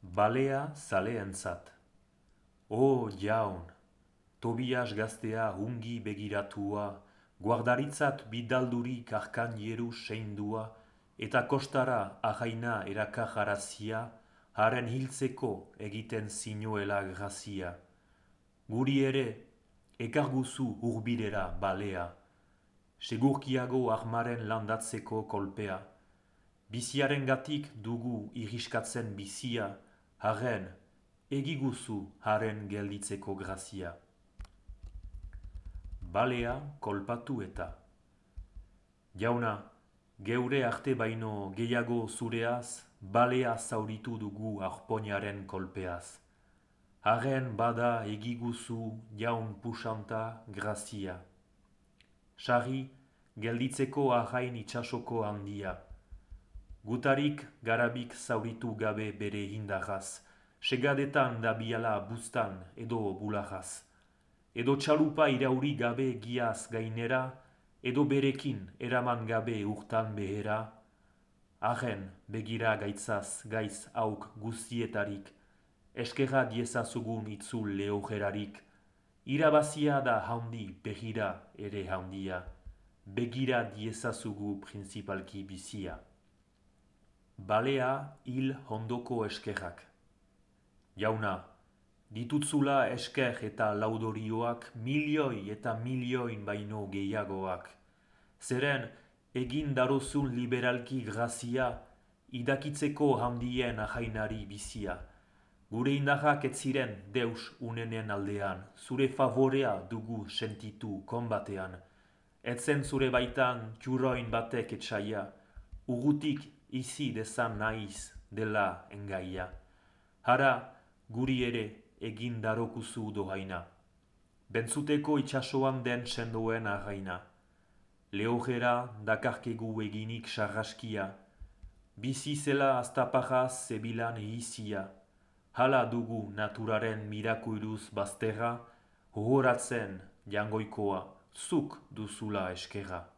Balea zaleentzat. O jaun, Tobias gaztea ungi begiratua, guardaritzat bidaldurik arkanieru seindua, eta kostara ahaina erakajarazia, haren hiltzeko egiten zinuela grazia. Guri ere, ekarguzu hurbirera balea, segurkiago armaren landatzeko kolpea. Biziarengatik dugu iriskatzen bizia, haren egiguzu haren gelditzeko grazia. Balea kolpatu eta. Jauna, geure arte baino gehiago zureaz, balea zauritu dugu arpoinaren kolpeaz. Haren bada egiguzu jaun pusanta grazia. Sarri, gelditzeko ahain itsasoko handia. Gutarik garabik zauritu gabe bere indarraz, segadetan dabiala bustan edo bulagaz. Edo txalupa irauri gabe giaz gainera, edo berekin eraman gabe urtan behera. Haren begira gaitzaz gaiz hauk guztietarik, eskerra diezazugun itzul lehojerarik. Irabazia da haundi begira ere haundia, begira diezazugu principalki bizia. Balea hil hondoko eskerrak. Jauna, ditutzula esker eta laudorioak milioi eta milioin baino gehiagoak. Zeren egin darozun liberalki grazia, idakitzeko handien ahainari bizia. Gure indarrak ez ziren deus unenen aldean, zure favorea dugu sentitu konbatean. Etzen zure baitan txurroin batek etxaia, ugutik izi dezan naiz dela engaia. Hara, guri ere egin darokuzu dohaina. Bentzuteko itxasoan den sendoen arraina. Lehojera dakarkegu eginik sarraskia. Bizi zela aztaparraz zebilan ihizia. Hala dugu naturaren mirakuiruz bazterra, hohoratzen jangoikoa, zuk duzula eskerra.